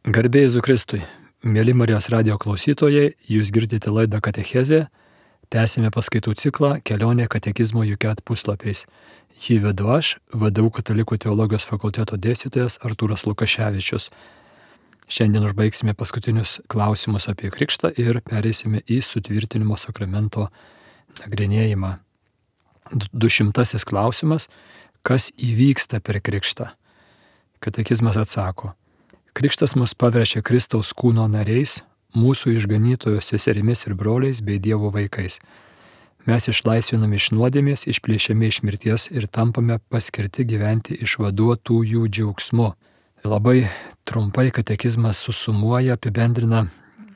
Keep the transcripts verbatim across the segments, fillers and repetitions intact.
Garbė Jėzui Kristui. Mėly Marijos radijo klausytojai, jūs girdite laidą Katechezė. Tęsime paskaitų ciklą Kelionė katekizmo juket puslapiais. Jį vedu aš, V D U Katalikų teologijos fakulteto dėstytojas Artūras Lukaševičius. Šiandien užbaigsime paskutinius klausimus apie krikštą ir pereisime į sutvirtinimo sakramento nagrinėjimą. Dušimtasis klausimas. Kas įvyksta per krikštą? Katekizmas atsako. Krikštas mus paverčia Kristaus kūno nariais, mūsų išganytojo seserimis ir broliais bei Dievo vaikais. Mes išlaisvinami iš nuodėmės, išplėšiami iš mirties ir tampame paskirti gyventi išvaduotųjų džiaugsmu. Labai trumpai katekizmas susumuoja, apibendrina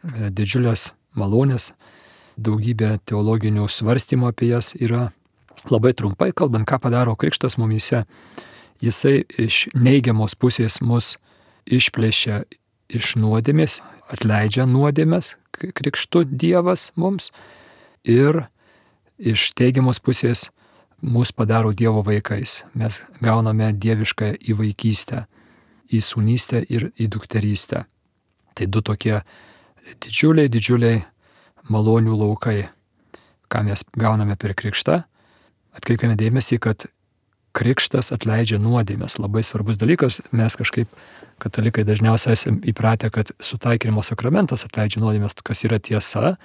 didžiulės malonės, daugybė teologinių svarstymų apie jas yra. Labai trumpai kalbant, ką padaro krikštas mumyse, jisai iš neigiamos pusės mus išplėšia iš nuodėmės, atleidžia nuodėmės krikštu Dievas mums ir iš teigiamos pusės mus padaro Dievo vaikais. Mes gauname dievišką įvaikystę, į sūnystę ir į dukterystę. Tai du tokie didžiuliai, didžiuliai malonių laukai, ką mes gauname per krikštą. Atkreipiame dėmesį, kad krikštas atleidžia nuodėmės. Labai svarbus dalykas. Mes kažkaip, katalikai, dažniausiai esame įpratę, kad sutaikinimo sakramentas atleidžia nuodėmės, kas yra tiesa,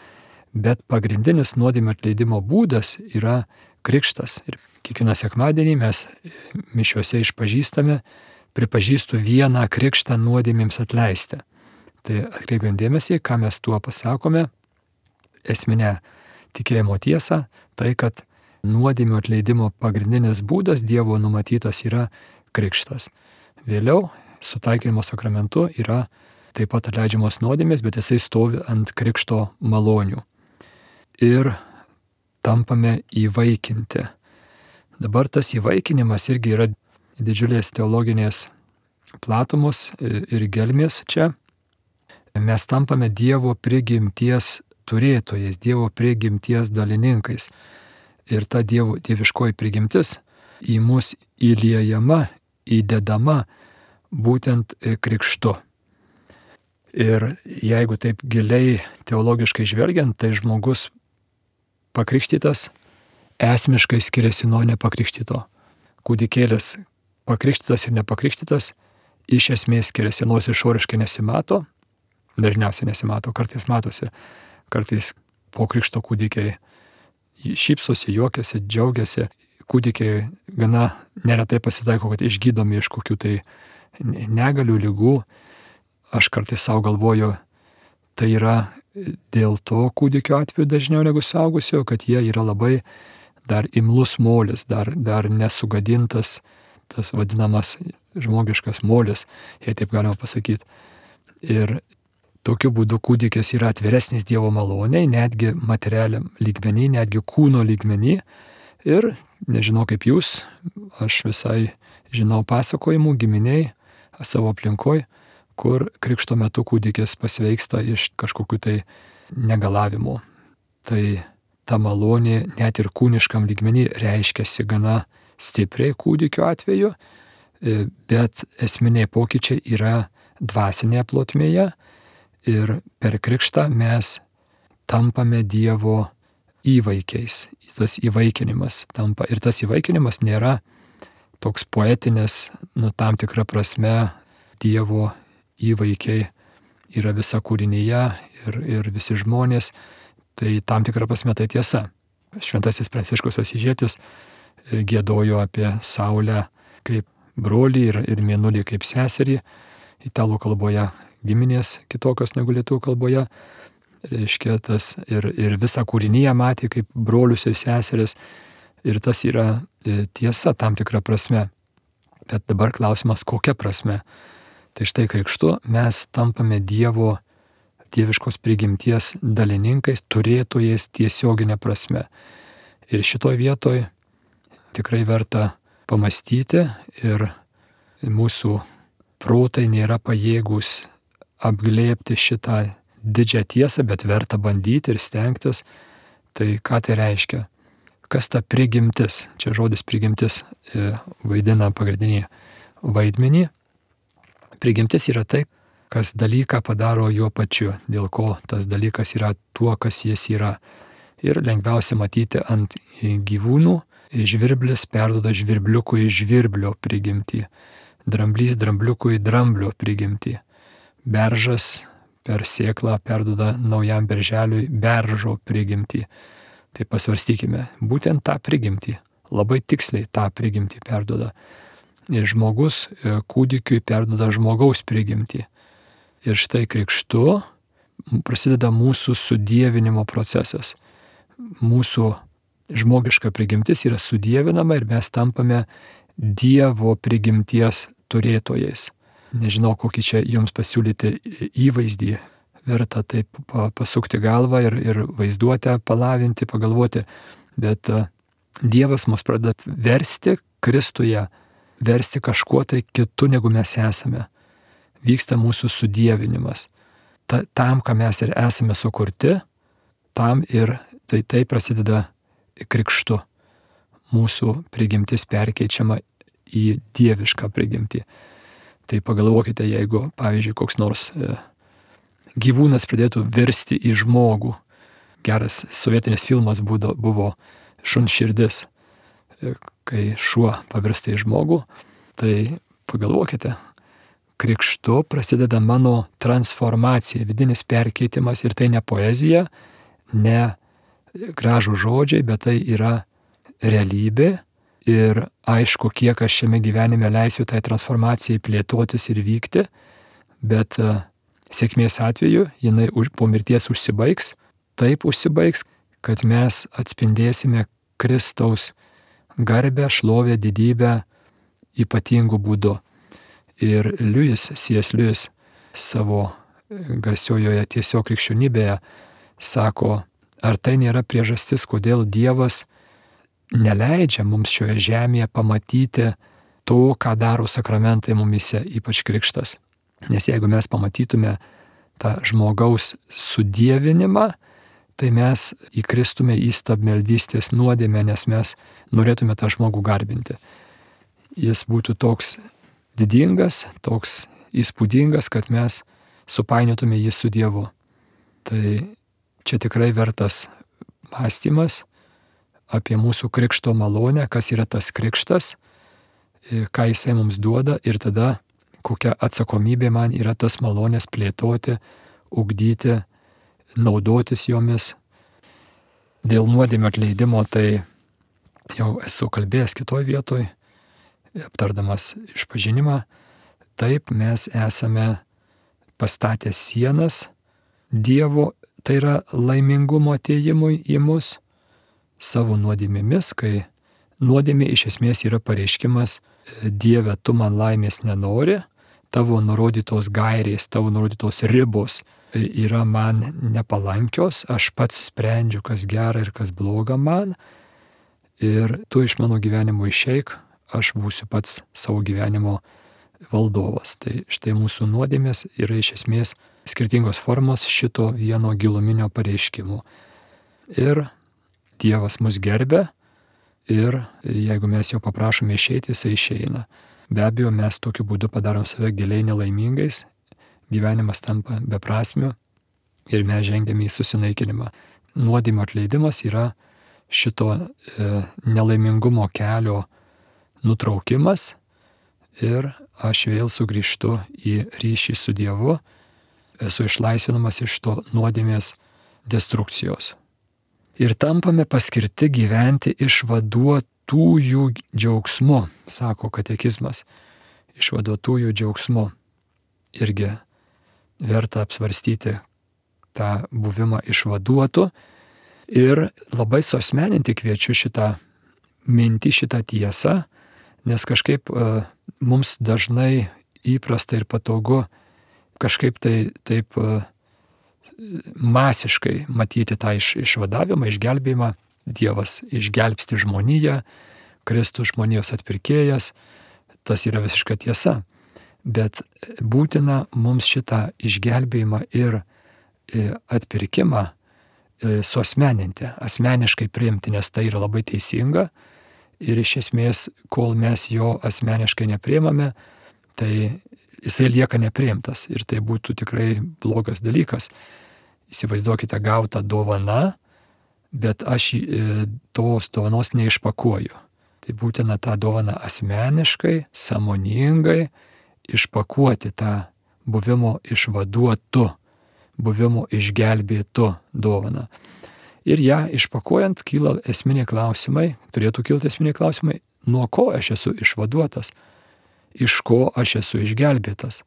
bet pagrindinis nuodėmės atleidimo būdas yra krikštas. Ir kiekvieną sekmadienį mes mišiuose išpažįstame, pripažįstu vieną krikštą nuodėmėms atleisti. Tai atkreipiam dėmesį, ką mes tuo pasakome. Esminė tikėjimo tiesa, tai kad nuodėmių atleidimo pagrindinis būdas Dievo numatytas yra krikštas. Vėliau sutaikinimo sakramentu yra taip pat atleidžiamos nuodėmės, bet jisai stovi ant krikšto malonių. Ir tampame įvaikinti. Dabar tas įvaikinimas irgi yra didžiulės teologinės platumos ir gelmės čia. Mes tampame Dievo prigimties turėtojais, Dievo prigimties dalininkais. Ir ta dievo, dieviškoji prigimtis į mus įliejama, įdedama būtent krikštu. Ir jeigu taip giliai teologiškai žvelgiant, tai žmogus pakrikštytas esmiškai skiriasi nuo nepakrikštyto. Kūdikėlis pakrikštytas ir nepakrikštytas iš esmės skiriasi, nors išoriškai nesimato, dažniausiai nesimato, kartais matosi, kartais po krikšto kūdikiai šypsosi, juokiasi, džiaugiasi. Kūdikiai gana neretai pasitaiko, kad išgydomi iš kokių tai negalių, ligų. Aš kartais savo galvoju, tai yra dėl to kūdikio atveju dažniau negu suaugusio, kad jie yra labai dar imlus molis, dar, dar nesugadintas, tas vadinamas žmogiškas molis, jei taip galima pasakyti. Ir tokiu būdu kūdikis yra atviresnis Dievo maloniai, netgi materialiam lygmenį, netgi kūno lygmenį. Ir nežinau kaip jūs, aš visai žinau pasakojimų giminiai savo aplinkoj, kur krikšto metu kūdikis pasveiksta iš kažkokių tai negalavimų. Tai ta malonė net ir kūniškam lygmenį reiškiasi gana stipriai kūdikio atveju, bet esminiai pokyčiai yra dvasinėje plotmėje. Ir per krikštą mes tampame Dievo įvaikiais. Tas įvaikinimas tampa. Ir tas įvaikinimas nėra toks poetinis, nu tam tikra prasme Dievo įvaikiai yra visa kūrinyje ir, ir visi žmonės. Tai tam tikra prasme tai tiesa. Šventasis Pranciškus Asyžietis giedojo apie Saulę kaip brolį ir, ir Mėnulį kaip seserį. Italų kalboje giminės kitokios negu lietuvių kalboje. Reiškia, tas ir, ir visą kūrinyje matė kaip brolius ir seseris. Ir tas yra tiesa tam tikra prasme. Bet dabar klausimas, kokia prasme. Tai štai krikštu mes tampame Dievo, dieviškos prigimties dalininkais, turėtojais tiesioginė prasme. Ir šitoj vietoj tikrai verta pamastyti ir mūsų protai nėra pajėgūs apglėbti šitą didžią tiesą, bet verta bandyti ir stengtis. Tai ką tai reiškia? Kas ta prigimtis? Čia žodis prigimtis vaidina pagrindinį vaidmenį. Prigimtis yra tai, kas dalyką padaro juo pačiu, dėl ko tas dalykas yra tuo, kas jis yra. Ir lengviausia matyti ant gyvūnų. Žvirblis perduoda žvirbliukui žvirblio prigimtį. Dramblys drambliukui dramblio prigimtį. Beržas per sėklą perduoda naujam berželiui beržo prigimtį. Tai pasvarstykime, būtent tą prigimtį, labai tiksliai tą prigimtį perduoda. Ir žmogus kūdikiui perduoda žmogaus prigimtį. Ir štai krikštu prasideda mūsų sudievinimo procesas. Mūsų žmogiška prigimtis yra sudievinama ir mes tampame Dievo prigimties turėtojais. Nežinau, kokį čia jums pasiūlyti įvaizdį. Verta taip pasukti galvą ir, ir vaizduotę palavinti, pagalvoti. Bet Dievas mus pradeda versti Kristuje, versti kažkuo tai kitu, negu mes esame. Vyksta mūsų sudievinimas. Ta, tam, ką mes ir esame sukurti, tam ir tai, tai prasideda krikštu. Mūsų prigimtis perkeičiama į dievišką prigimtį. Tai pagalvokite, jeigu, pavyzdžiui, koks nors e, gyvūnas pradėtų virsti į žmogų. Geras sovietinis filmas būdo, buvo Šuns širdis, e, kai šuo pavirsta į žmogų. Tai pagalvokite, krikštu prasideda mano transformacija, vidinis perkeitimas, ir tai ne poezija, ne gražų žodžiai, bet tai yra realybė. Ir aišku, kiek aš šiame gyvenime leisiu tai transformacijai plėtotis ir vykti, bet uh, sėkmės atveju jinai už, po mirties užsibaigs, taip užsibaigs, kad mes atspindėsime Kristaus garbę, šlovę, didybę ypatingų būdų. Ir Liujis, C S Liujis savo garsiojoje Tiesiog krikščionybėje sako, ar tai nėra priežastis, kodėl Dievas neleidžia mums šioje žemėje pamatyti to, ką daro sakramentai mumyse, ypač krikštas. Nes jeigu mes pamatytume tą žmogaus sudievinimą, tai mes įkristume į stabmeldystės nuodėmę, nes mes norėtume tą žmogų garbinti. Jis būtų toks didingas, toks įspūdingas, kad mes supainiotume jį su Dievu. Tai čia tikrai vertas mąstymas apie mūsų krikšto malonę, kas yra tas krikštas, ką jisai mums duoda ir tada kokia atsakomybė man yra tas malonės plėtoti, ugdyti, naudotis jomis. Dėl nuodėmio atleidimo tai jau esu kalbėjęs kitoj vietoj, aptardamas išpažinimą. Taip mes esame pastatę sienas Dievo, tai yra laimingumo atėjimui į mus, savo nuodėmėmis, kai nuodėmė iš esmės yra pareiškimas: Dieve, tu man laimės nenori, tavo nurodytos gairės, tavo nurodytos ribos yra man nepalankios, aš pats sprendžiu, kas gera ir kas bloga man, ir tu iš mano gyvenimo išeik, aš būsiu pats savo gyvenimo valdovas. Tai štai mūsų nuodėmės yra iš esmės skirtingos formos šito vieno giluminio pareiškimo. Ir Dievas mus gerbia, ir jeigu mes jo paprašome išeiti, jisai išeina. Be abejo, mes tokiu būdu padarom save giliai nelaimingais, gyvenimas tampa beprasmiu ir mes žengiame į susinaikinimą. Nuodėmio atleidimas yra šito e, nelaimingumo kelio nutraukimas, ir aš vėl sugrįžtu į ryšį su Dievu, esu išlaisvinamas iš to nuodėmės destrukcijos. Ir tampame paskirti gyventi išvaduotųjų džiaugsmu, sako katekizmas. Išvaduotųjų džiaugsmu. Irgi verta apsvarstyti tą buvimą išvaduotų. Ir labai suasmeninti kviečiu šitą mintį, šitą tiesą, nes kažkaip uh, mums dažnai įprasta ir patogu kažkaip tai taip uh, masiškai matyti tą iš, išvadavimą, išgelbėjimą. Dievas išgelbsti žmoniją, Kristus žmonijos atpirkėjas, tas yra visiška tiesa. Bet būtina mums šitą išgelbėjimą ir atpirkimą suasmeninti, asmeniškai priimti, nes tai yra labai teisinga. Ir iš esmės, kol mes jo asmeniškai nepriimame, tai jisai lieka nepriimtas ir tai būtų tikrai blogas dalykas. Įsivaizduokite gautą dovaną, bet aš tos dovanos neišpakuoju. Tai būtina tą dovaną asmeniškai, sąmoningai išpakuoti tą buvimo išvaduotu, buvimo išgelbėtu dovaną. Ir ją išpakuojant kyla esminiai klausimai, turėtų kilti esminiai klausimai, nuo ko aš esu išvaduotas, iš ko aš esu išgelbėtas.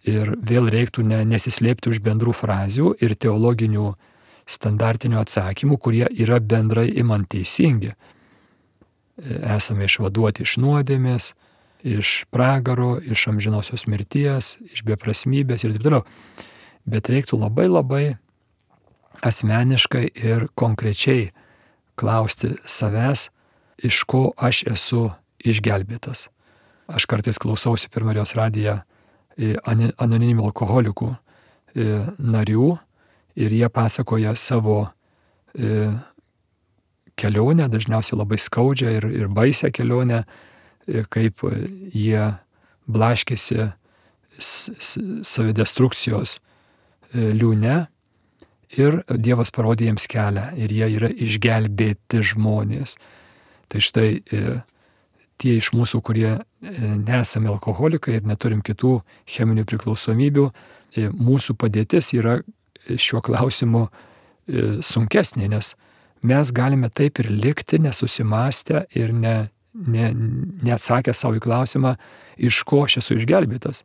Ir vėl reiktų ne, nesislėpti už bendrų frazių ir teologinių standartinių atsakymų, kurie yra bendrai imant teisingi. Esame išvaduoti iš nuodėmės, iš pragaro, iš amžinosios mirties, iš beprasmybės ir taip toliau. Bet reiktų labai labai asmeniškai ir konkrečiai klausti savęs, iš ko aš esu išgelbėtas. Aš kartais klausausi per Marijos radiją anoniminių alkoholikų narių ir jie pasakoja savo kelionę, dažniausiai labai skaudžią ir, ir baisią kelionę, kaip jie blaškėsi savidestrukcijos liūne ir Dievas parodė jiems kelią ir jie yra išgelbėti žmonės. Tai štai tie iš mūsų, kurie nesame alkoholikai ir neturim kitų cheminių priklausomybių, mūsų padėtis yra šiuo klausimu sunkesnė, nes mes galime taip ir likti nesusimastę ir ne, ne, neatsakę savo į klausimą, iš ko aš esu išgelbėtas.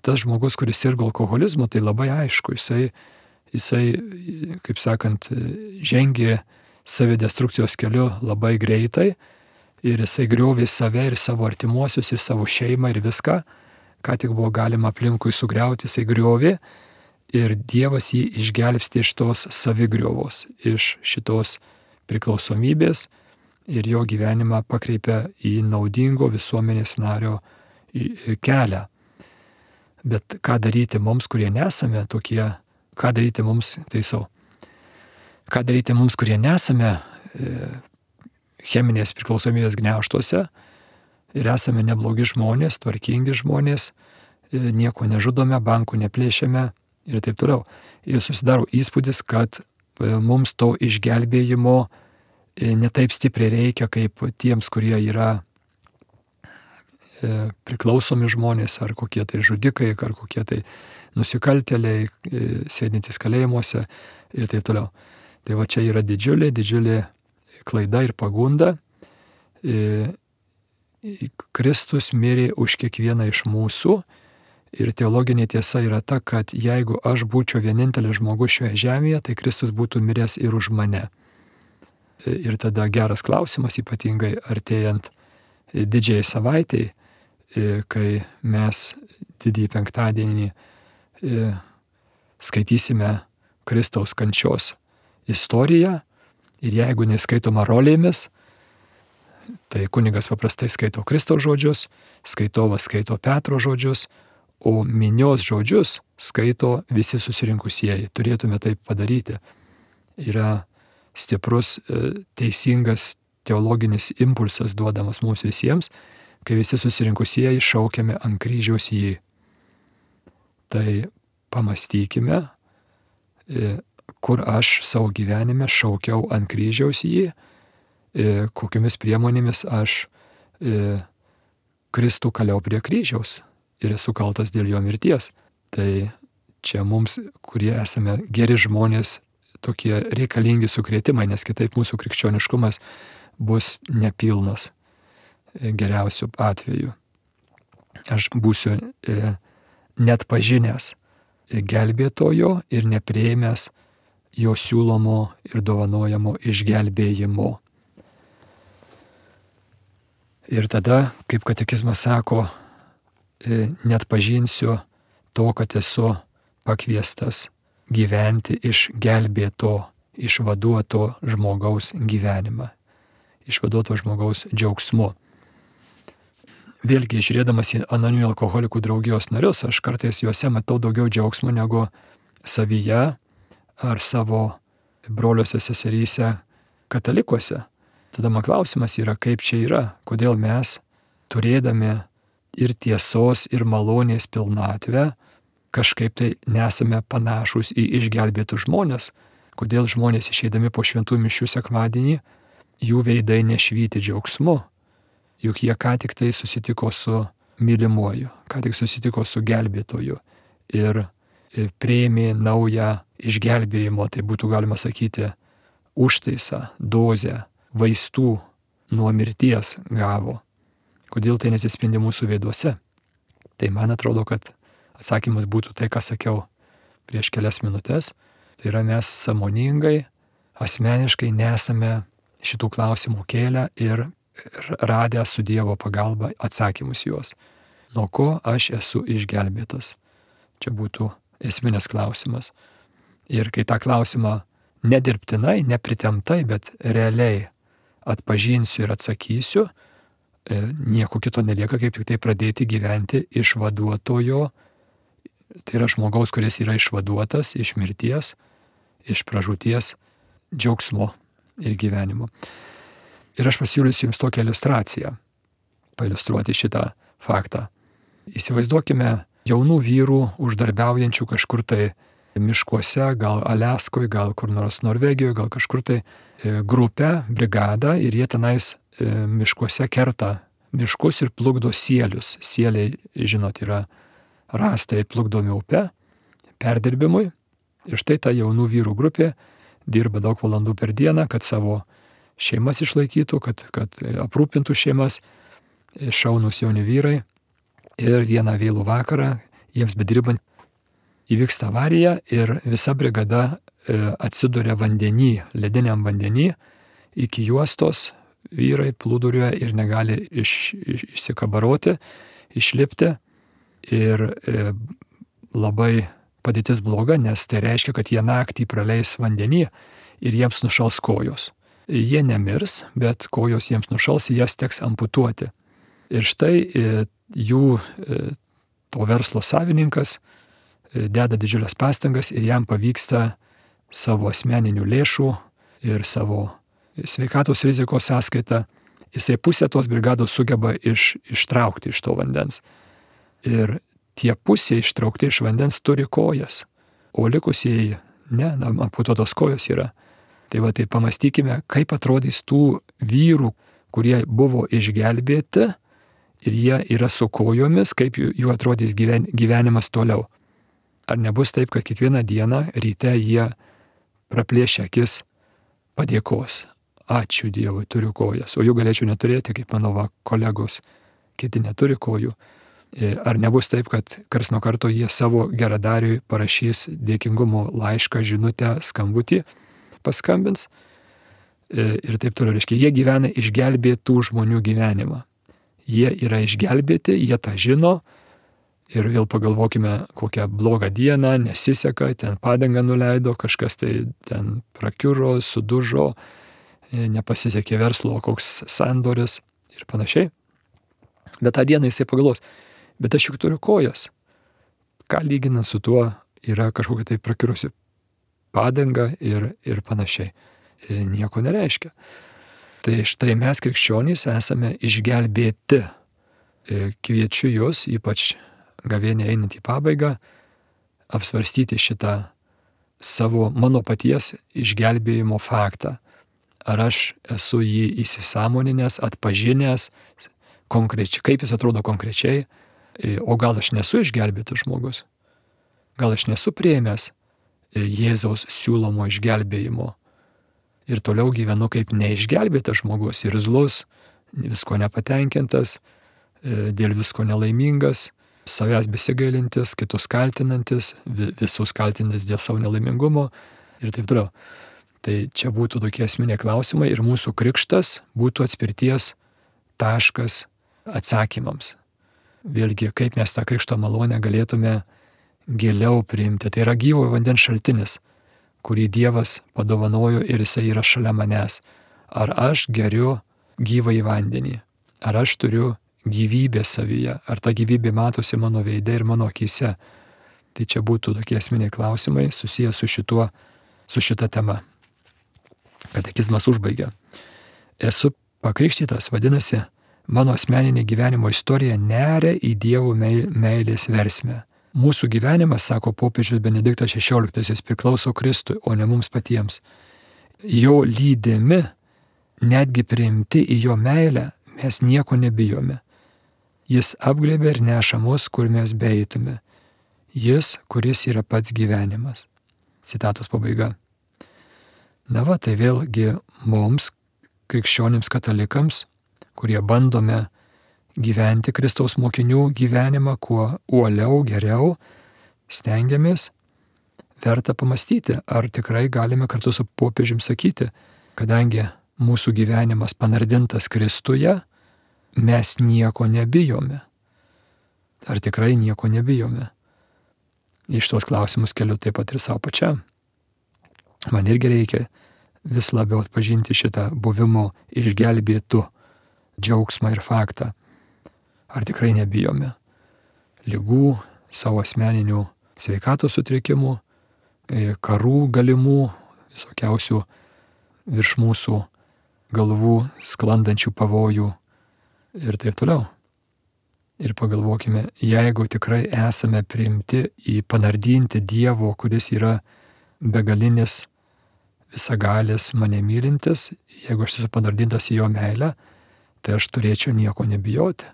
Tas žmogus, kuris sirgo alkoholizmu, tai labai aišku, jisai, jisai, kaip sakant, žengė savidestrukcijos keliu labai greitai ir jisai griovė save ir savo artimuosius ir savo šeimą ir viską, ką tik buvo galima aplinkui sugriauti, jisai griovė ir Dievas jį išgelbsti iš tos savigriovos, iš šitos priklausomybės ir jo gyvenimą pakreipia į naudingo visuomenės nario kelią. Bet ką daryti mums, kurie nesame tokie, ką daryti mums, taisau, ką daryti mums, kurie nesame e, cheminės priklausomybės gniaužtuose ir esame neblogi žmonės, tvarkingi žmonės, e, nieko nežudome, bankų neplėšiame ir taip toliau. Ir susidaro įspūdis, kad e, mums to išgelbėjimo e, netaip stipriai reikia, kaip tiems, kurie yra priklausomi žmonės, ar kokie tai žudikai, ar kokie tai nusikaltėliai, sėdintys kalėjimuose ir taip toliau. Tai va čia yra didžiulė, didžiulė klaida ir pagunda. Kristus mirė už kiekvieną iš mūsų ir teologinė tiesa yra ta, kad jeigu aš būčiau vienintelis žmogus šioje žemėje, tai Kristus būtų miręs ir už mane. Ir tada geras klausimas, ypatingai artėjant didžiai savaitai, kai mes didįjį penktadienį skaitysime Kristaus kančios istoriją ir jeigu neskaitoma rolėmis, tai kunigas paprastai skaito Kristaus žodžius, skaitovas skaito Petro žodžius, o minios žodžius skaito visi susirinkusieji. Turėtume taip padaryti. Yra stiprus, teisingas teologinis impulsas duodamas mums visiems, kai visi susirinkusieji šaukiame ant kryžiaus jį. Tai pamastykime, kur aš savo gyvenime šaukiau ant kryžiaus jį, kokiamis priemonėmis aš Kristų kaliau prie kryžiaus ir esu kaltas dėl jo mirties. Tai čia mums, kurie esame geri žmonės, tokie reikalingi sukrėtimai, nes kitaip mūsų krikščioniškumas bus nepilnas. Geriausiu atveju. Aš būsiu e, net pažinęs gelbėtojo ir nepriėmęs jo siūlomo ir dovanojamo išgelbėjimo. Ir tada, kaip katekizmas sako, e, net pažinsiu to, kad esu pakviestas gyventi iš gelbėto, išvaduoto žmogaus gyvenimą, išvaduoto žmogaus džiaugsmu. Vėlgi, žiūrėdamas į anoniminių alkoholikų draugijos narius, aš kartais juose matau daugiau džiaugsmo negu savyje ar savo broliuose seseryse katalikuose. Tada man klausimas yra, kaip čia yra, kodėl mes, turėdami ir tiesos, ir malonės pilnatvę, kažkaip tai nesame panašus į išgelbėtus žmonės. Kodėl žmonės išeidami po šventų mišių sekmadienį, jų veidai nešvyti džiaugsmu, juk jie ką tik tai susitiko su mylimuoju, ką tik susitiko su gelbėtoju ir priėmė naują išgelbėjimo, tai būtų galima sakyti, užtaisą, dozę, vaistų nuo mirties gavo. Kodėl tai nesispindi mūsų veiduose? Tai man atrodo, kad atsakymas būtų tai, ką sakiau prieš kelias minutės. Tai yra, mes sąmoningai, asmeniškai nesame šitų klausimų kėlę ir radę su Dievo pagalba atsakymus juos. Nuo ko aš esu išgelbėtas? Čia būtų esminis klausimas. Ir kai tą klausimą nedirbtinai, nepritemtai, bet realiai atpažinsiu ir atsakysiu, nieko kito nelieka, kaip tik tai pradėti gyventi išvaduotojo, tai yra žmogaus, kuris yra išvaduotas iš mirties, iš pražūties džiaugsmo ir gyvenimo. Ir aš pasiūlysiu jums tokią iliustraciją, pailiustruoti šitą faktą. Įsivaizduokime jaunų vyrų uždarbiaujančių kažkur tai miškuose, gal Aliaskoje, gal kur nors Norvegijoje, gal kažkur tai grupę, brigadą, ir jie tenais miškuose kerta miškus ir plukdo sielius. Sieliai, žinot, yra rąstai plukdomi upe, perdirbimui. Ir štai ta jaunų vyrų grupė dirba daug valandų per dieną, kad savo šeimas išlaikytų, kad, kad aprūpintų šeimas, šaunūs jauni vyrai. Ir vieną vėlų vakarą, jiems bedirbant, įvyksta avarija ir visa brigada atsiduria vandenį, lediniam vandenį, iki juostos vyrai plūduriuoja ir negali iš, iš, išsikabaroti, išlipti. Ir e, labai padėtis bloga, nes tai reiškia, kad jie naktį praleis vandenį ir jiems nušals kojos. Jie nemirs, bet kojos jiems nušals ir jas teks amputuoti. Ir štai e, jų e, to verslo savininkas e, deda didžiulės pastangas ir jam pavyksta savo asmeninių lėšų ir savo sveikatos rizikos sąskaitą, jisai pusę tos brigados sugeba iš, ištraukti iš to vandens. Ir tie pusė ištraukti iš vandens turi kojas, o likusieji ne, amputuotos kojos yra. Tai va, tai pamastykime, kaip atrodys tų vyrų, kurie buvo išgelbėti ir jie yra su kojomis, kaip jų, jų atrodys gyven, gyvenimas toliau. Ar nebus taip, kad kiekvieną dieną ryte jie praplėšia akis padėkos. Ačiū Dievui, turiu kojas, o jų galėčiau neturėti, kaip mano va, kolegos, kiti neturi kojų. Ar nebus taip, kad kars nuo karto jie savo geradariui parašys dėkingumo laišką, žinutę, skambutį, paskambins ir taip toliau. Reiškia, jie gyvena išgelbėtų žmonių gyvenimą. Jie yra išgelbėti, jie tą žino ir vėl pagalvokime, kokią blogą dieną, nesiseka, ten padangą nuleido, kažkas tai ten prakiuro, sudužo, nepasisekė verslo, koks sandoris ir panašiai. Bet tą dieną jisai pagalvos, bet aš juk turiu kojas. Ką lyginant su tuo yra kažkokia tai prakirusi padanga ir, ir panašiai. Ir nieko nereiškia. Tai štai mes krikščionys esame išgelbėti. Ir kviečiu jūs, ypač gavėnią einant į pabaigą, apsvarstyti šitą savo, mano paties išgelbėjimo faktą. Ar aš esu jį įsisąmoninęs, atpažinęs, konkrečiai, kaip jis atrodo konkrečiai, o gal aš nesu išgelbėtas žmogus, gal aš nesu priėmęs Jėzaus siūlomo išgelbėjimo ir toliau gyvenu kaip neišgelbėtas žmogus, irzlus, visko nepatenkintas, dėl visko nelaimingas, savęs besigailintis, kitus kaltinantis, visus kaltinantis dėl savo nelaimingumo ir taip toliau. Tai čia būtų tokie esminiai klausimai ir mūsų krikštas būtų atspirties taškas atsakymams. Vėlgi, kaip mes tą krikšto malonę galėtume giliau priimti. Tai yra gyvo vandens šaltinis, kurį Dievas padovanojo ir jisai yra šalia manęs. Ar aš geriu gyvą į vandenį? Ar aš turiu gyvybę savyje? Ar ta gyvybė matosi mano veide ir mano akyse? Tai čia būtų tokie esminiai klausimai susiję su šituo, su šita tema. Katekizmas užbaigia. Esu pakrikštytas, vadinasi, mano asmeninė gyvenimo istorija neria į Dievo meilės versmę. Mūsų gyvenimas, sako popiežius Benediktas šešioliktasis, priklauso Kristui, o ne mums patiems. Jo lydimi, netgi priimti į jo meilę, mes nieko nebijome. Jis apglėbė ir neša mus, kur mes beeitume. Jis, kuris yra pats gyvenimas. Citatos pabaiga. Na va, tai vėlgi mums, krikščionims katalikams, kurie bandome gyventi Kristaus mokinių gyvenimą kuo uoliau, geriau, stengiamės, verta pamastyti, ar tikrai galime kartu su popiežium sakyti, kadangi mūsų gyvenimas panardintas Kristuje, mes nieko nebijome. Ar tikrai nieko nebijome? Iš tos klausimus keliu taip pat ir savo pačiam. Man irgi reikia vis labiau atpažinti šitą buvimo išgelbėtų džiaugsmą ir faktą. Ar tikrai nebijome ligų, savo asmeninių sveikatos sutrikimų, karų galimų, visokiausių virš mūsų galvų sklandančių pavojų ir taip toliau. Ir pagalvokime, jeigu tikrai esame priimti į panardinti Dievo, kuris yra begalinis, visagalis, mane mylintis, jeigu aš esu panardintas į jo meilę, tai aš turėčiau nieko nebijoti.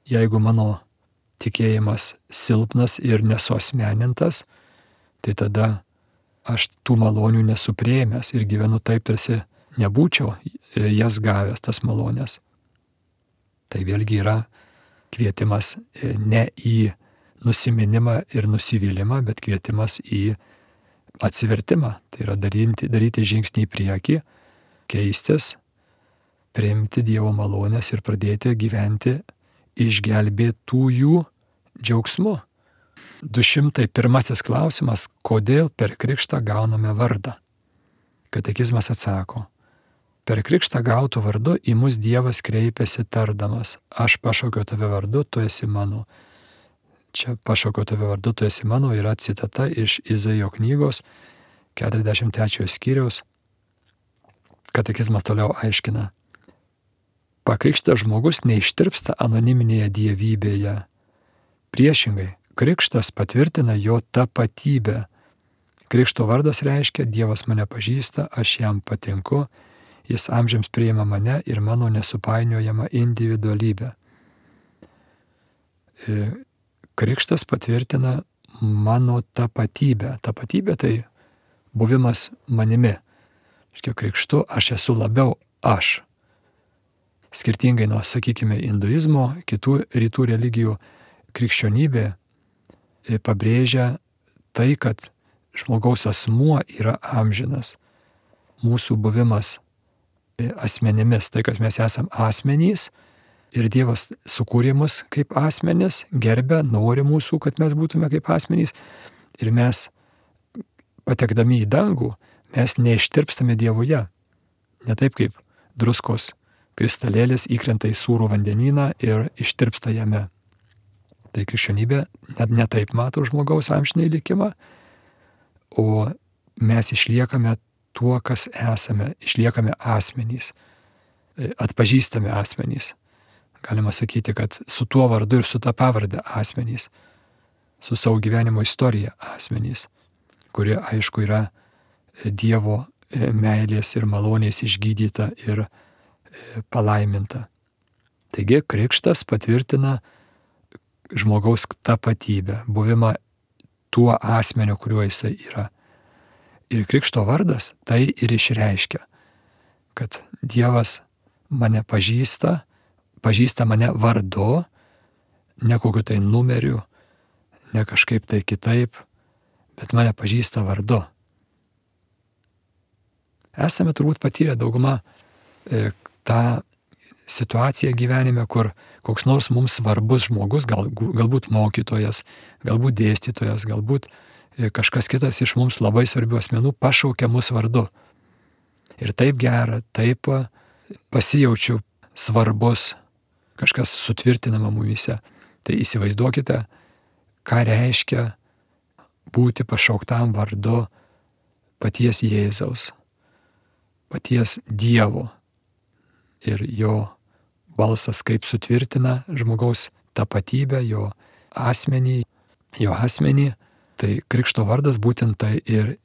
Jeigu mano tikėjimas silpnas ir nesuasmenintas, tai tada aš tų malonių nesuprėmęs ir gyvenu taip, tarsi nebūčiau jas gavęs, tas malonės. Tai vėlgi yra kvietimas ne į nusiminimą ir nusivylimą, bet kvietimas į atsivertimą. Tai yra daryti, daryti žingsnį į priekį, keistis, priimti Dievo malonės ir pradėti gyventi išgelbėtųjų džiaugsmu. du šimtai pirmasis klausimas, kodėl per krikštą gauname vardą? Katekizmas atsako, per krikštą gautų vardu į mus Dievas kreipiasi tardamas, aš pašaukiau tave vardu, tu esi mano. Čia pašaukiau tave vardu, tu esi mano yra citata iš Izaijo knygos keturiasdešimt trečiojo skyriaus. Katekizmas toliau aiškina. Pakrikštas žmogus neištirpsta anoniminėje dievybėje. Priešingai, krikštas patvirtina jo tapatybę. Krikšto vardas reiškia, Dievas mane pažįsta, aš jam patinku, jis amžiams priima mane ir mano nesupainiojamą individualybę. Krikštas patvirtina mano tapatybę. Tapatybė tai buvimas manimi. Škia krikštu aš esu labiau aš. Skirtingai nuo, sakykime, hinduizmo, kitų rytų religijų, krikščionybė pabrėžia tai, kad žmogaus asmuo yra amžinas. Mūsų buvimas asmenimis, tai, kad mes esam asmenys ir Dievas sukūrė mus kaip asmenis, gerbė, nori mūsų, kad mes būtume kaip asmenys. Ir mes, patekdami į dangų, mes neištirpstame Dievuje. Ne taip kaip druskos kristalėlis įkrenta į sūrų vandenyną ir ištirpsta jame. Tai krikščionybė net ne taip mato žmogaus amžinai likimą, o mes išliekame tuo, kas esame, išliekame asmenys, atpažįstame asmenys. Galima sakyti, kad su tuo vardu ir su ta pavarde asmenys, su savo gyvenimo istorija asmenys, kuri aišku yra Dievo meilės ir malonės išgydyta ir palaiminta. Taigi krikštas patvirtina žmogaus tapatybę, buvimą tuo asmeniu, kuriuo jisai yra. Ir krikšto vardas tai ir išreiškia, kad Dievas mane pažįsta, pažįsta mane vardu, ne kokiu tai numeriu, ne kažkaip tai kitaip, bet mane pažįsta vardu. Esame turbūt patyrę dauguma e, tą situaciją gyvenime, kur koks nors mums svarbus žmogus, gal, galbūt mokytojas, galbūt dėstytojas, galbūt e, kažkas kitas iš mums labai svarbių asmenų pašaukia mus vardu. Ir taip gera, taip pasijaučiu svarbus, kažkas sutvirtinama mumyse. Tai įsivaizduokite, ką reiškia būti pašauktam vardu paties Jėzaus, paties Dievo ir jo balsas kaip sutvirtina žmogaus tapatybę, jo asmenį, jo asmenį, tai krikšto vardas būtent tai ir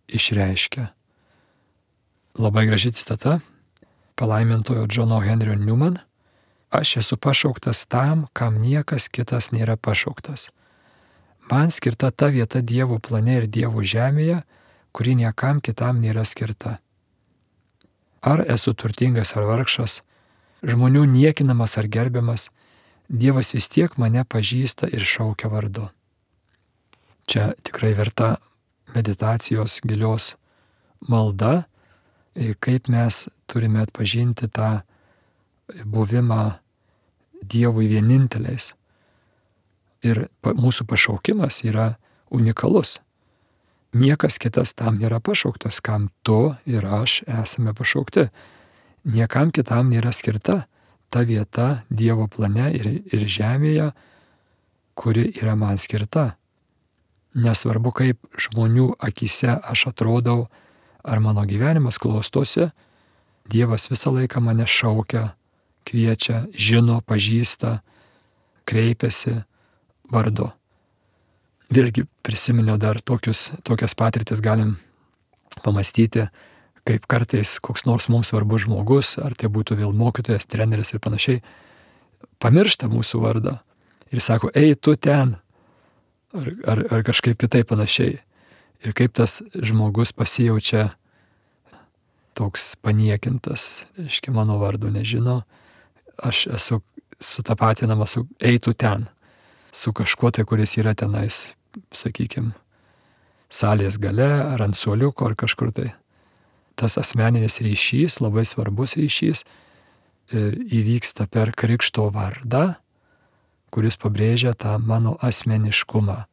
išreiškia. Labai graži citata palaimintojo Džono Henrio Newman. Aš esu pašauktas tam, kam niekas kitas nėra pašauktas. Man skirta ta vieta Dievo plane ir Dievo žemėje, kuri niekam kitam nėra skirta. Ar esu turtingas ar vargšas, žmonių niekinamas ar gerbiamas, Dievas vis tiek mane pažįsta ir šaukia vardu. Čia tikrai verta meditacijos gilios malda, kaip mes turime atpažinti tą buvimą Dievui vieninteliais. Ir mūsų pašaukimas yra unikalus. Niekas kitas tam nėra pašauktas, kam tu ir aš esame pašaukti. Niekam kitam nėra skirta ta vieta Dievo plane ir, ir žemėje, kuri yra man skirta. Nesvarbu, kaip žmonių akise aš atrodau, ar mano gyvenimas klostosi, Dievas visą laiką mane šaukia, kviečia, žino, pažįsta, kreipiasi vardu. Vėlgi prisiminiau dar tokius, tokias patirtis galim pamastyti, kaip kartais koks nors mums svarbus žmogus, ar tai būtų vėl mokytojas, treneris ir panašiai, pamiršta mūsų vardą ir sako, ei, tu ten, ar, ar, ar kažkaip kitaip panašiai. Ir kaip tas žmogus pasijaučia toks paniekintas, reiškia, mano vardo nežino, aš esu sutapatinamas su ei, tu ten, su kažkuo tai, kuris yra tenais, sakykime, salės gale, ar ant suoliuko, ar kažkur tai. Tas asmeninis ryšys, labai svarbus ryšys, įvyksta per krikšto vardą, kuris pabrėžia tą mano asmeniškumą.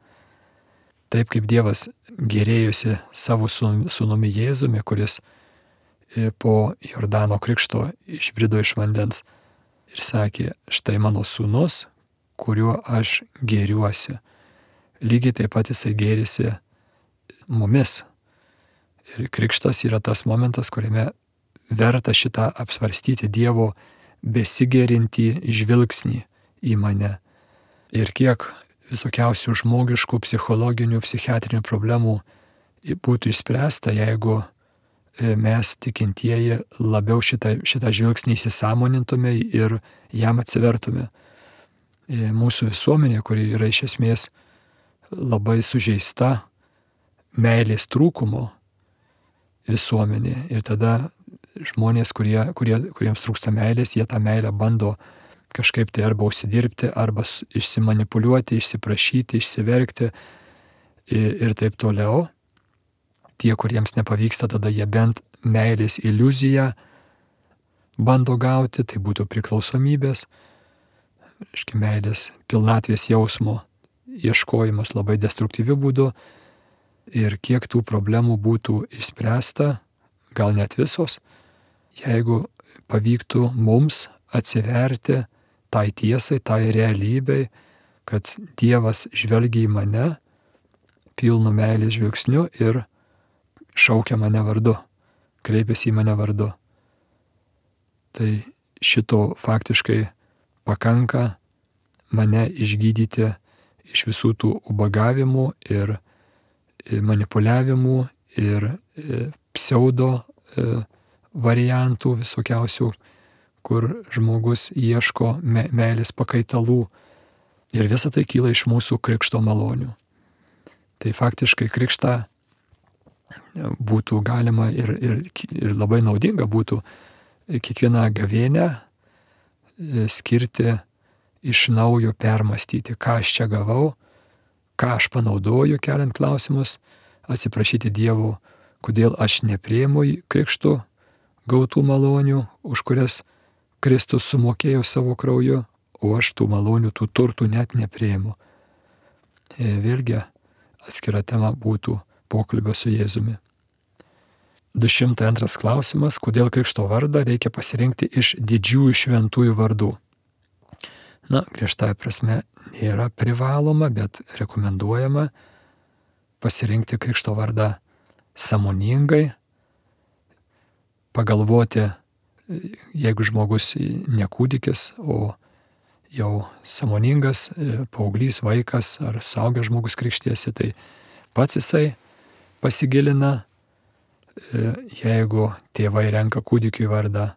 Taip kaip Dievas gėrėjosi savo sūnumi Jėzumi, kuris po Jordano krikšto išbrido iš vandens ir sakė, štai mano sūnus, kuriuo aš gėriuosi. Lygiai taip pat jisai gėrisi mumis. Ir krikštas yra tas momentas, kuriame verta šitą apsvarstyti Dievo besigėrintį žvilgsnį į mane. Ir kiek visokiausių žmogiškų, psichologinių, psichiatrinių problemų būtų išspręsta, jeigu mes tikintieji labiau šitą, šitą žvilgsnį įsisąmonintume ir jam atsivertume. Mūsų visuomenė, kuri yra iš esmės labai sužeista meilės trūkumo visuomenė. Ir tada žmonės, kurie, kurie, kuriems trūksta meilės, jie tą meilę bando kažkaip tai arba užsidirbti, arba išsimanipuliuoti, išsiprašyti, išsiverkti ir, ir taip toliau. Tie, kuriems nepavyksta, tada jie bent meilės iliuziją bando gauti, tai būtų priklausomybės, reiškia, meilės pilnatvės jausmo ieškojimas labai destruktyviu būdu. Ir kiek tų problemų būtų išspręsta, gal net visos, jeigu pavyktų mums atsiverti tai tiesai, tai realybei, kad Dievas žvelgia į mane pilnu meilės žvilgsniu ir šaukia mane vardu, kreipiasi į mane vardu. Tai šito faktiškai pakanka mane išgydyti iš visų tų ubagavimų ir manipuliavimų ir pseudo variantų visokiausių, kur žmogus ieško me- meilės pakaitalų. Ir visa tai kyla iš mūsų krikšto malonių. Tai faktiškai krikštą būtų galima ir, ir, ir labai naudinga būtų kiekvieną gavėnią skirti iš naujo permastyti, ką aš čia gavau, ką aš panaudoju, keliant klausimus, atsiprašyti Dievo, kodėl aš nepriimu krikštų gautų malonių, už kurias Kristus sumokėjo savo krauju, o aš tų malonių, tų turtų net nepriimu. Vėlgi atskira tema būtų pokalbio su Jėzumi. du šimtai antras klausimas, kodėl krikšto vardą reikia pasirinkti iš didžiųjų šventųjų vardų. Na, griežtąja prasme nėra privaloma, bet rekomenduojama pasirinkti krikšto vardą sąmoningai, pagalvoti, jeigu žmogus ne kūdikis, o jau sąmoningas paauglys, vaikas ar suaugęs žmogus krikštiesi, tai pats jisai pasigilina. Jeigu tėvai renka kūdikiui vardą,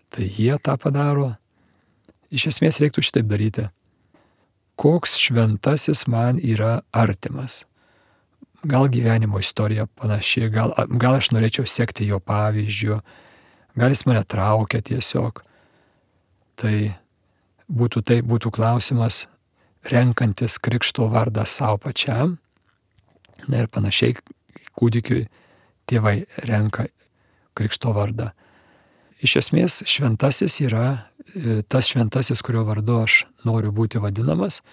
tai jie tą padaro. Iš esmės reiktų šitaip daryti. Koks šventasis man yra artimas? Gal gyvenimo istorija panaši, gal, gal aš norėčiau sekti jo pavyzdžiu, gal jis mane traukia tiesiog. Tai būtų, tai būtų klausimas, renkantis krikšto vardą savo pačiam. Na ir panašiai kūdikiui tėvai renka krikšto vardą. Iš esmės šventasis yra tas šventasis, kurio vardu aš noriu būti vadinamas,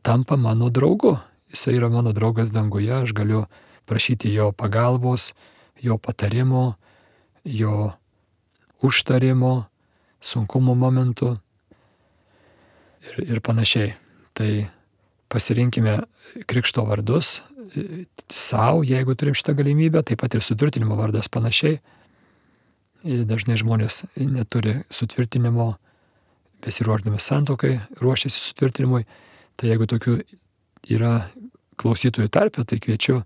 tampa mano draugu. Jisai yra mano draugas danguje, aš galiu prašyti jo pagalbos, jo patarimo, jo užtarimo, sunkumo momentu ir, ir panašiai. Tai pasirinkime krikšto vardus savo, jeigu turim šitą galimybę, taip pat ir sutvirtinimo vardas panašiai. Dažnai žmonės neturi sutvirtinimo, besiruošdami santuokai, ruošiasi sutvirtinimui. Tai jeigu tokių yra klausytojų tarpe, tai kviečiu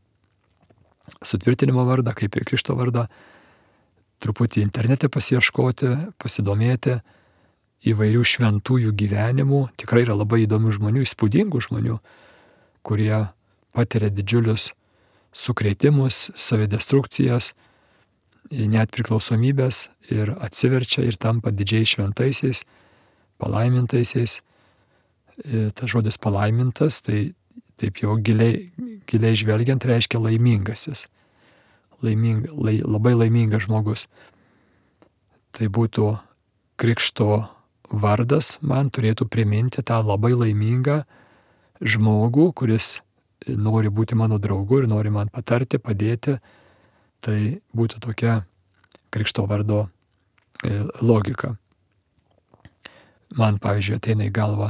sutvirtinimo vardą, kaip ir krikšto vardą, truputį internete pasiieškoti, pasidomėti įvairių šventųjų gyvenimų. Tikrai yra labai įdomių žmonių, įspūdingų žmonių, kurie patiria didžiulius sukrėtimus, savidestrukcijas, net priklausomybės ir atsiverčia ir tampa didžiai šventaisiais, palaimintaisiais. Tas žodis palaimintas, tai taip jau giliai, giliai žvelgiant reiškia laimingasis. Laiming, lai, labai laimingas žmogus. Tai būtų krikšto vardas, man turėtų priminti tą labai laimingą žmogų, kuris nori būti mano draugu ir nori man patarti, padėti. Tai būtų tokia krikšto vardo logika. Man, pavyzdžiui, ateina į galvą,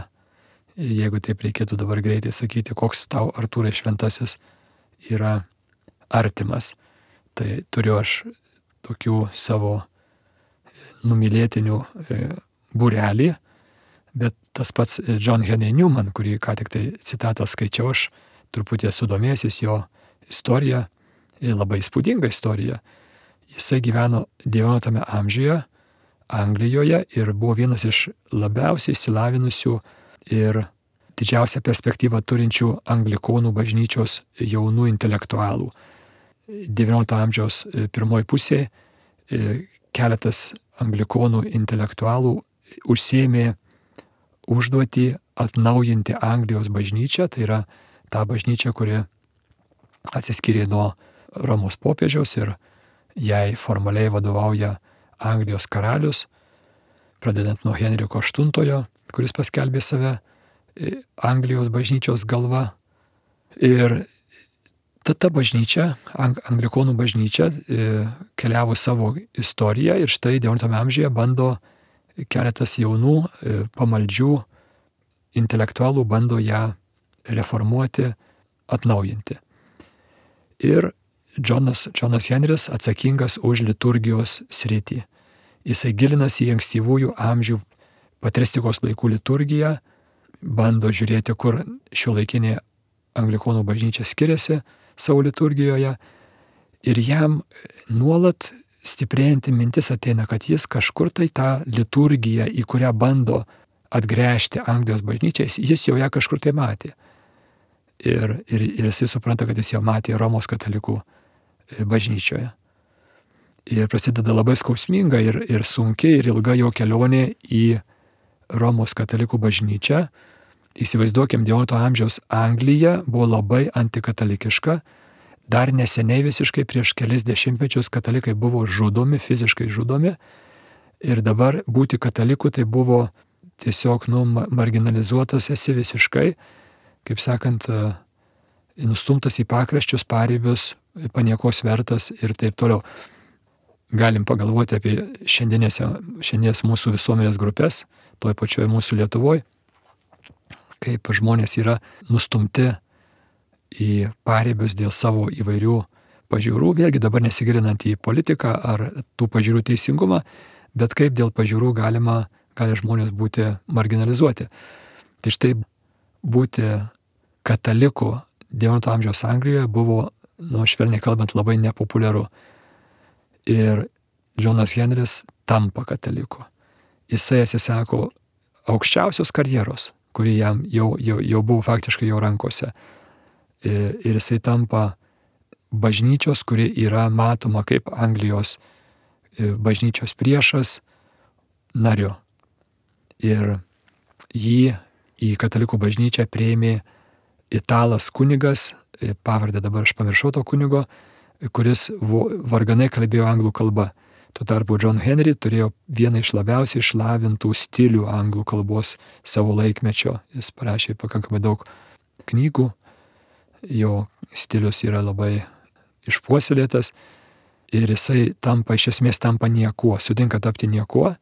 jeigu taip reikėtų dabar greitai sakyti, koks tau, Artūrai, šventasis yra artimas. Tai turiu aš tokių savo numylėtinių būrelį, bet tas pats John Henry Newman, kurį ką tik tai citatą skaičiau, aš truputį esu domėjęsis jo istoriją, labai įspūdinga istorija. Jisai gyveno devynioliktame amžiuje Anglijoje ir buvo vienas iš labiausiai išsilavinusių ir didžiausią perspektyvą turinčių anglikonų bažnyčios jaunų intelektualų. devyniolikto amžiaus pirmoji pusė keletas anglikonų intelektualų užsiėmė užduotį atnaujinti Anglijos bažnyčią, tai yra ta bažnyčia, kuri atsiskyrė nuo Romos popiežiaus ir jai formaliai vadovauja Anglijos karalius, pradedant nuo Henriko aštuntojo, kuris paskelbė save Anglijos bažnyčios galva. Ir ta, ta bažnyčia, anglikonų bažnyčia, keliavo savo istoriją ir štai devynioliktame amžiuje bando keletas jaunų pamaldžių intelektualų bando ją reformuoti, atnaujinti. Ir Džonas, Džonas Henris atsakingas už liturgijos sritį. Jisai gilinasi į ankstyvųjų amžių patristikos laikų liturgiją, bando žiūrėti, kur šiuolaikinė anglikonų bažnyčia skiriasi savo liturgijoje. Ir jam nuolat stiprėjanti mintis ateina, kad jis kažkur tai tą liturgiją, į kurią bando atgręžti Anglijos bažnyčiais, jis jau ją kažkur tai matė. Ir, ir, ir jisai supranta, kad jis jau matė Romos katalikų bažnyčioje. Ir prasideda labai skausminga ir, ir sunki ir ilga jo kelionė į Romos katalikų bažnyčią. Įsivaizduokim, devyniolikto amžiaus Anglija buvo labai antikatalikiška. Dar neseniai visiškai prieš kelis dešimtmečius katalikai buvo žudomi, fiziškai žudomi. Ir dabar būti kataliku tai buvo tiesiog nu, marginalizuotas esi visiškai, kaip sakant, nustumtas į pakraščius, paribius, paniekos vertas ir taip toliau. Galim pagalvoti apie šiandienės, šiandienės mūsų visuomenės grupės, toj pačioj mūsų Lietuvoje, kaip žmonės yra nustumti į paribius dėl savo įvairių pažiūrų, vėlgi dabar nesigilinant į politiką ar tų pažiūrų teisingumą, bet kaip dėl pažiūrų galima, gali žmonės būti marginalizuoti. Tai štai būti kataliku devyniolikto amžiaus Anglijoje buvo, nu, švelniai kalbant, labai nepopuliaru. Ir Džonas Henris tampa kataliku. Jisai atsisako aukščiausios karjeros, kuri jam jau, jau, jau buvo faktiškai jo rankose. Ir jisai tampa bažnyčios, kuri yra matoma kaip Anglijos bažnyčios priešas, nariu. Ir jį į katalikų bažnyčią priėmė italas kunigas, pavardę dabar aš pamiršau to kunigo, kuris varganai kalbėjo anglų kalba. Tuo tarpu John Henry turėjo vieną iš labiausiai išlavintų stilių anglų kalbos savo laikmečio. Jis parašė pakankamai daug knygų, jo stilius yra labai išpuoselėtas ir jisai tampa, iš esmės tampa niekuo, sutinka tapti niekuo,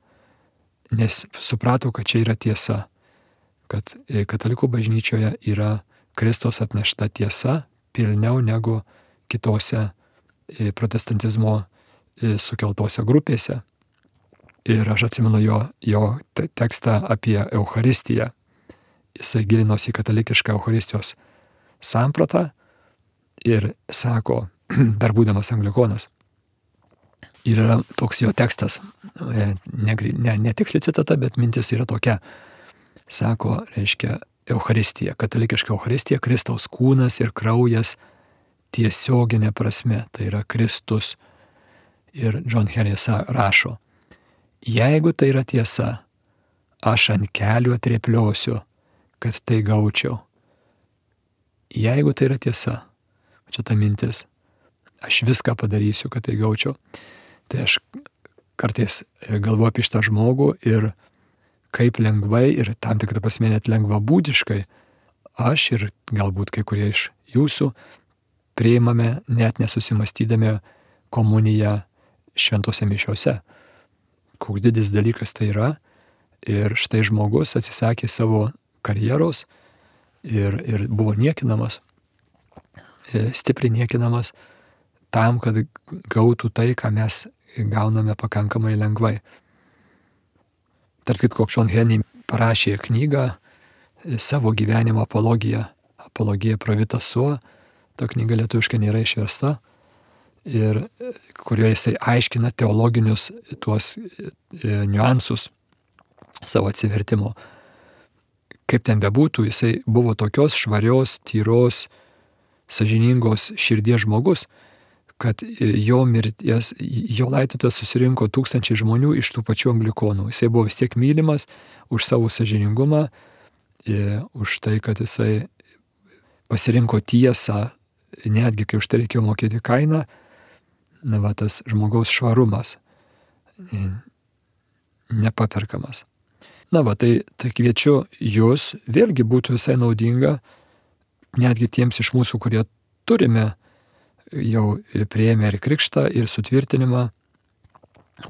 nes suprato, kad čia yra tiesa, kad katalikų bažnyčioje yra Kristaus atnešta tiesa pilniau negu kitose protestantizmo sukeltose grupėse. Ir aš atsimenu jo, jo tekstą apie Eucharistiją. Jisai gilinosi į katalikišką Eucharistijos sampratą ir sako, dar būdamas anglikonas, ir yra toks jo tekstas, ne, ne, ne tiksli citata, bet mintis yra tokia. Sako, reiškia, Eucharistija, katalikiška Eucharistija, Kristaus kūnas ir kraujas tiesioginė prasme, tai yra Kristus. Ir John Henrys rašo, jeigu tai yra tiesa, aš ant kelių atrėpliosiu, kad tai gaučiau. Jeigu tai yra tiesa, čia ta mintis, aš viską padarysiu, kad tai gaučiau. Tai aš kartais galvoju apie šitą žmogų ir kaip lengvai ir tam tikrą prasme net lengvabūdiškai aš ir galbūt kai kurie iš jūsų priimame net nesusimastydami komuniją šventose mišiose. Koks didis dalykas tai yra. Ir štai žmogus atsisakė savo karjeros ir, ir buvo niekinamas, stipriai niekinamas tam, kad gautų tai, ką mes gauname pakankamai lengvai. Tarp kitko, John Henry parašė knygą savo gyvenimo apologiją, apologija pro vitas suo, ta knyga lietuviškai nėra išversta, ir kurioje jisai aiškina teologinius tuos e, niuansus savo atsivertimo. Kaip ten bebūtų, jisai buvo tokios švarios, tyros, sąžiningos širdies žmogus, kad jo mirties, jo laidotuvės susirinko tūkstančiai žmonių iš tų pačių anglikonų. Jisai buvo vis tiek mylimas už savo sąžiningumą, už tai, kad jisai pasirinko tiesą, netgi kai už tai reikėjo mokėti kainą. Na, va, tas žmogaus švarumas nepaperkamas. Na, va, tai, tai kviečiu jūs, vėlgi būtų visai naudinga, netgi tiems iš mūsų, kurie turime jau priėmę ir krikštą, ir sutvirtinimą,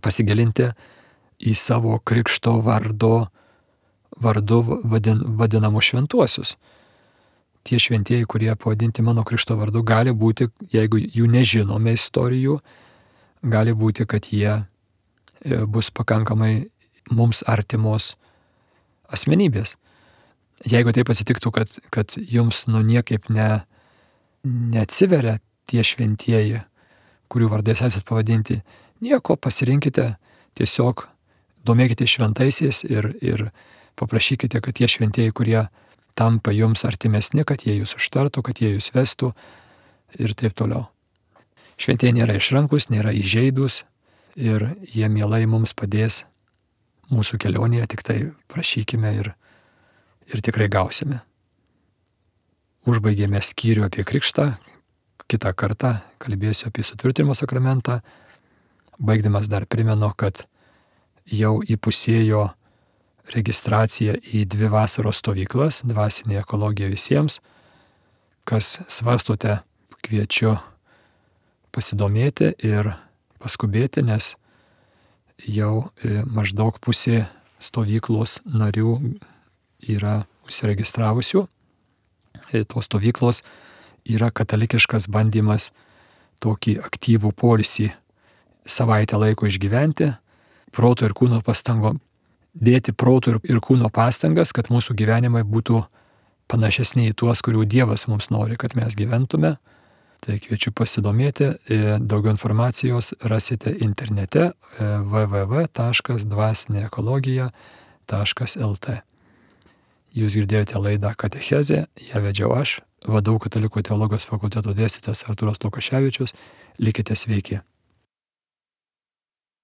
pasigilinti į savo krikšto vardo, vardu vadin, vadinamus šventuosius. Tie šventieji, kurie pavadinti mano krikšto vardu, gali būti, jeigu jų nežinome istorijų, gali būti, kad jie bus pakankamai mums artimos asmenybės. Jeigu tai pasitiktų, kad, kad jums nu niekaip ne, neatsiveria tie šventieji, kurių vardais esat pavadinti, nieko, pasirinkite, tiesiog domėkite šventaisiais ir, ir paprašykite, kad tie šventieji, kurie tampa jums artimesni, kad jie jūs užtartų, kad jie jūs vestų ir taip toliau. Šventieji nėra išrankus, nėra įžeidus ir jie mielai mums padės mūsų kelionėje, tik tai prašykime ir, ir tikrai gausime. Užbaigėme skyrių apie krikštą, kitą kartą kalbėsiu apie sutvirtinimo sakramentą. Baigdamas dar primenu, kad jau įpusėjo registracija į dvi vasaros stovyklas, dvasinė ekologija visiems. Kas svarstote, kviečiu pasidomėti ir paskubėti, nes jau maždaug pusė stovyklos narių yra užsiregistravusių. Tos stovyklos yra katalikiškas bandymas tokį aktyvų poilsį savaitę laiko išgyventi, proto ir kūno pastangom. Dėti proto ir kūno pastangas, kad mūsų gyvenimai būtų panašesni į tuos, kurių Dievas mums nori, kad mes gyventume. Tai kviečiu pasidomėti, daugiau informacijos rasite internete w w w taškas dvasinė ekologija taškas l t. Jūs girdėjote laidą Katechezė, ją vedžiau aš, V D U Katalikų teologijos fakulteto dėstytojas Artūras Lukaševičius. Likite sveiki.